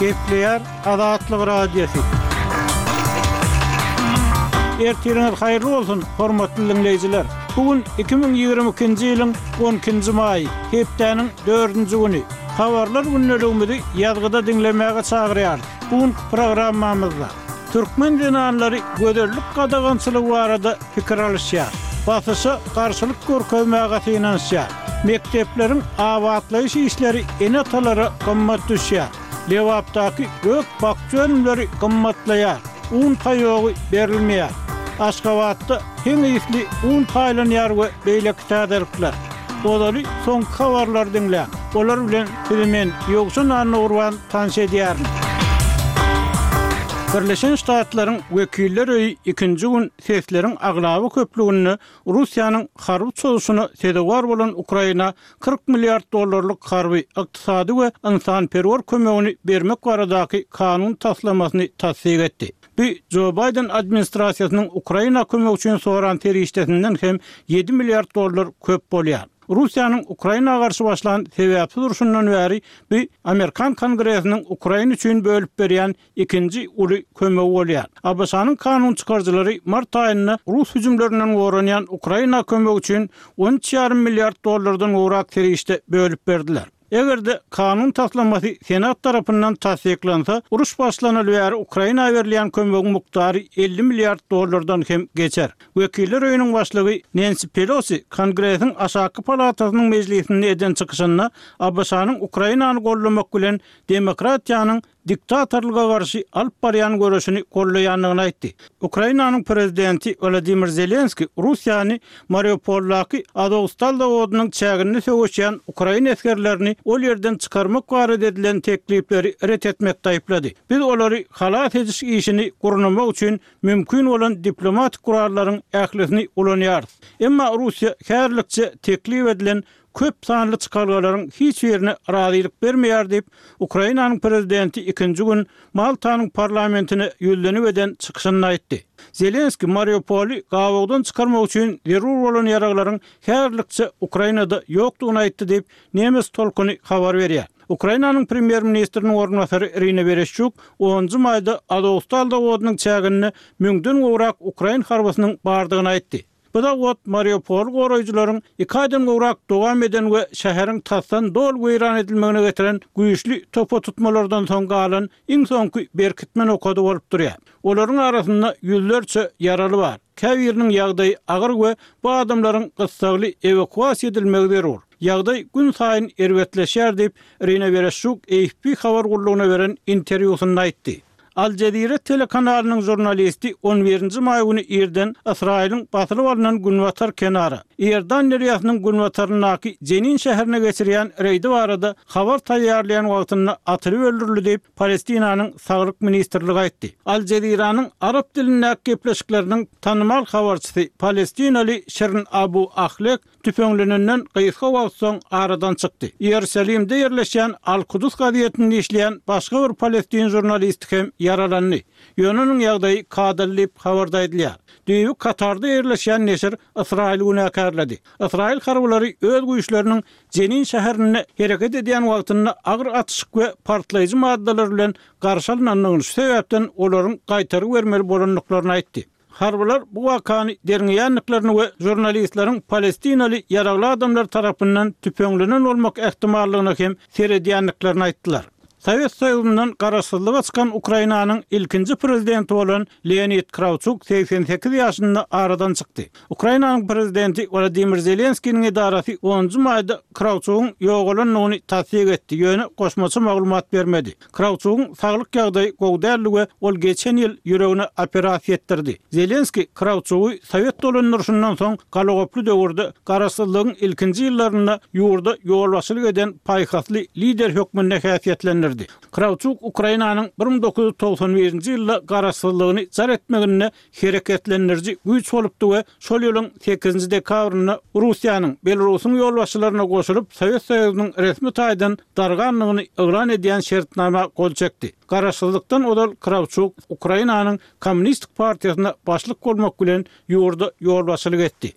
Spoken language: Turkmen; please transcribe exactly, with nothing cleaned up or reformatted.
Gepleýär Azatlyk Radiosy. Ertiriňiz haýyrly bolsun, hormatly dinleýjiler. Bu gün iki müň ýigrimi ikinji ýylyň on ikinji maýy, hepdäniň dördünji güni. Habarlar gündeligimizi ýazgyda diňlemäge çagyrýarys. Bu günki programmamyzda türkmen zenanlary gözellik gadagançylygy barada pikir alyşýar. Basyşa garşylyk görkezmäge synanyşýar. Mekdepleriň abatlaýyş işleri ene-atalara gymmat düşýär. Lebapdaky gök-bakja önümleri gymmatlaýar. Un paýogy berilmeýär. Aşgabatda heň ysly un paýlanýar we beýleki täzelikler. Ozaly soňky habarlary diňläň. Olar bilen sizi men Ýowşan Annagurban tanyş edýärin. Birleşen Ştatlaryň Wekiller öýi ikinji gün sesleriň aglaba köplüginde Russiýanyň harby çozuşyna sezewar bolan Ukraina kyrk milliard dollarlyk harby, ykdysady we ynsanperwer kömegini bermek baradaky kanun taslamasyny tassyk etdi. Bu Jo Baýden administrasiýasynyň Ukraina kömegi üçin soran serişdesinden hem ýedi milliard dollar köp bolýar. Russiýanyň Ukraina garşy başlan sebäpsiz urşundan bäri bu Amerikan Kongresiniň Ukraina üçin bölüp berýän ikinji uly kömegi bolýar. A B Ş-nyň kanun çykaryjylary mart aýynda Rus hüjümlerinden goranýan Ukraina kömegi üçin on üç ýarym milliard dollardan gowrak serişde bölüp berdiler. Eger-de kanun taslamasy Senat tarapyndan tassyklansa, uruş başlanaly bäri Ukraina berilýän kömegiň mukdary elli milliard dollardan hem geçer. Wekiller öýüniň başlygy Nancy Pelosi Kongresiň aşaky palatasynyň mejlisinde eden çykyşynda A B Ş-nyň Ukrainany gollamak bilen demokratiýanyň diktatorlyga garşy alyp barýan göreşini gollaýandygyny aýtdy. Ukrainanyň prezidenti Wladimir Zelenski Russiýany Mariupoldaky Azovstal zawodynyň çäginde söweşýän Ukraina esgerlerini ol ýerden çykarmak barada edilen teklipleri ret etmekde aýyplady. Biz olary halas ediş işini gurnamak üçin mümkin bolan diplomatik gurallaryň ählisini ulanýarys. Emma Russiýa häzirlikçe teklip edilen köp sanly çykalgalaryň hiç birine razylyk bermeýär diýip, Ukrainanyň prezidenti ikinji gün Maltanyň parlamentine ýüzlenip eden çykyşynda aýtdy. Zelenski Mariupoly gabawdan çykarmak üçin zerur bolan ýaraglaryň häzirlikçe Ukrainada ýokdugyny aýtdy diýip, Nemes tolkuny habar berýär. Ukrainanyň premýer-ministriniň orunbasary Irina Wereşçuk onunjy maýda Azovstal zawodynyň çäginde müňden gowrak ukrain harbysynyň bardygyny aýtdy. Bu zawod Mariupol goraýjylaryň iki aýdan gowrak dowam eden we şäheriň tasdan doly weýran edilmegine getiren güýçli topa tutmalardan soň galan iň soňky berkitme nokady bolup durýar. Olaryň arasynda ýüzlerçe ýaraly bar. Käbiriniň ýagdaýy agyr we bu adamlaryň gyssagly ewakuasiýa edilmegi zerur. Ýagdaý gün saýyn erbetleşýär diýip, Irina Wereşçuk A F P habar gullugyna beren interwýusynda aýtdy. Al Jazeera telekanalynyň žurnalisti on birinji maý güni irden Ysraýylyň basylyp alynan günbatar kenara, Iordan derýasynyň günbataryndaky Jenin şäherine geçirýän reýdi barada habar taýýarlaýan wagtynda atylyp öldürildi diýip, Palestinanyň Saglyk ministrligi aýtdy. Al Jazeeranyň arap dilindäki gepleşikleriniň tanymal habarçysy Palestinaly Şirin Abu Ahlek tüfeňlenenden gysga wagt soň aradan çykdy. Ýerusalimde ýerleşýän Al-Kudus gazetinde işleýän başga bir palestin žurnalisti hem ýaralandy. Ýöne onuň ýagdaýy kadaly diýip habarda aýdylýar. Düýbi Katarda ýerleşýän neşir Ysraýyl günäkärledi. Ysraýyl harbylary öz güýçleriniň Jenin şäherinde hereket edýän wagtynda agyr atyşyk we partlaýjy maddalar bilen garşy alynandygyny şu sebäpden olaryň gaýtaryp bermeli bolandyklaryny aýtdy. Harbylar bu wakany derňeýändiklerini we žurnalistleriň palestinaly ýaragly adamlar tarapyndan tüpeňlenen bolmak ähtimallygyna hem seredýändiklerini aýtdylar. Sowet Soýuzyndan garaşsyzlyga çykan Ukrainanyň ilkinji prezidenti bolan Leonid Krawçuk seksen sekiz ýaşynda aradan çykdy. Ukrainanyň prezidenti Wladimir Zelenskiniň edarasy onunjy maýda Krawçugyň ýogalandygyny tassyk etdi, ýöne goşmaça maglumat bermedi. Krawçugyň saglyk ýagdaýy gowy däldi we ol geçen ýyl ýüregine operasiýa etdirdi. Zelenski Krawçugy Sowet dolandyryşyndan soň galagoply döwürde garaşsyzlygyň ilkinji ýyllarynda ýurda ýolbaşçylyk eden paýhasly lider hökmünde häsiýetlendirdi. Krawçuk Ukrainanyň bir müň dokuz ýüz togsan birinji ýylda garaşsyzlygyny jar etmeginde hereketlendiriji güýç bolupdy we şol ýylyň sekizinji dekabrynda Russiýanyň Belarusyň ýolbaşçylaryna goşulyp Sowet Soýuzynyň resmi taýdan dargandygyny yglan edýän şertnama gol çekdi. Garaşsyzlykdan ozal Krawçuk Ukrainanyň Kommunistik partiýasyna başlyk bolmak bilen ýurda ýolbaşçylyk etdi.